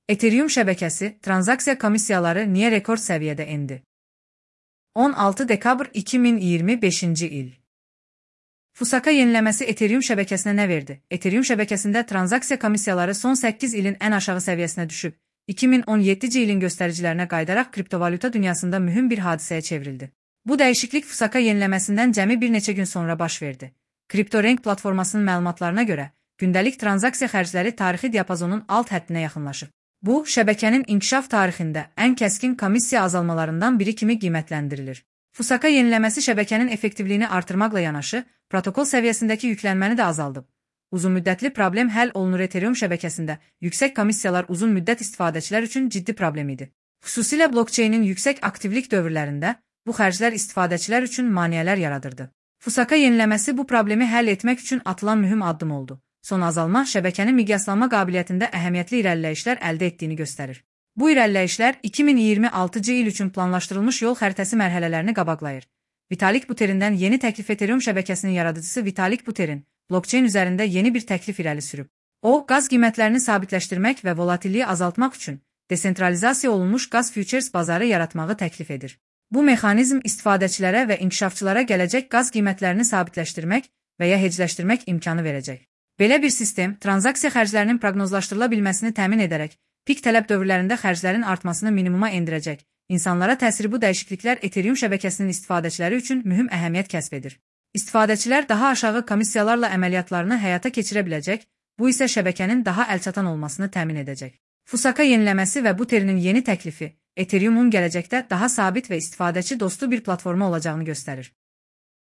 Ethereum şəbəkəsi, transaksiya komissiyaları niyə rekord səviyyədə endi? 16 dekabr 2025-ci il. Fusaka yeniləməsi Ethereum şəbəkəsinə nə verdi? Ethereum şəbəkəsində transaksiya komissiyaları son 8 ilin ən aşağı səviyyəsinə düşüb, 2017-ci ilin göstəricilərinə qayıdaraq kriptovalyuta dünyasında mühüm bir hadisəyə çevrildi. Bu dəyişiklik Fusaka yeniləməsindən cəmi bir neçə gün sonra baş verdi. CryptoRank platformasının məlumatlarına görə, gündəlik transaksiya xərcləri tarixi diapazonun alt həddinə yaxınlaşıb. Bu, şəbəkənin inkişaf tarixində ən kəskin komissiya azalmalarından biri kimi qiymətləndirilir. Fusaka yeniləməsi şəbəkənin effektivliyini artırmaqla yanaşı, protokol səviyyəsindəki yüklənməni də azaldıb. Uzunmüddətli problem həll olunur. Ethereum şəbəkəsində yüksək komissiyalar uzun müddət istifadəçilər üçün ciddi problem idi. Xüsusilə blockchainin yüksək aktivlik dövrlərində bu xərclər istifadəçilər üçün maneələr yaradırdı. Fusaka yeniləməsi bu problemi həll etmək üçün atılan mühüm addım oldu. Son azalma şəbəkənin miqyaslanma qabiliyyətində əhəmiyyətli irəliləyişlər əldə etdiyini göstərir. Bu irəliləyişlər 2026-cı il üçün planlaşdırılmış yol xəritəsi mərhələlərini qabaqlayır. Vitalik Buterin'dən yeni təklif. Ethereum şəbəkəsinin yaradıcısı Vitalik Buterin, blockchain üzərində yeni bir təklif irəli sürüb. O, qaz qiymətlərini sabitləşdirmək və volatilliyi azaltmaq üçün desentralizasiya olunmuş qaz futures bazarı yaratmağı təklif edir. Bu mexanizm istifadəçilərə və inkişafçılara gələcək qaz qiymətlərini sabitləşdirmək və ya hecləşdirmək imkanı verəcək. Belə bir sistem, transaksiya xərclərinin proqnozlaşdırıla bilməsini təmin edərək, pik tələb dövrlərində xərclərin artmasını minimuma endirəcək. İnsanlara təsiri bu dəyişikliklər Ethereum şəbəkəsinin istifadəçiləri üçün mühüm əhəmiyyət kəsb edir. İstifadəçilər daha aşağı komissiyalarla əməliyyatlarını həyata keçirə biləcək, bu isə şəbəkənin daha əlçatan olmasını təmin edəcək. Fusaka yeniləməsi və Buterinin yeni təklifi, Ethereumun gələcəkdə daha sabit və istifadəçi dostu bir platforma olacağını göstərir.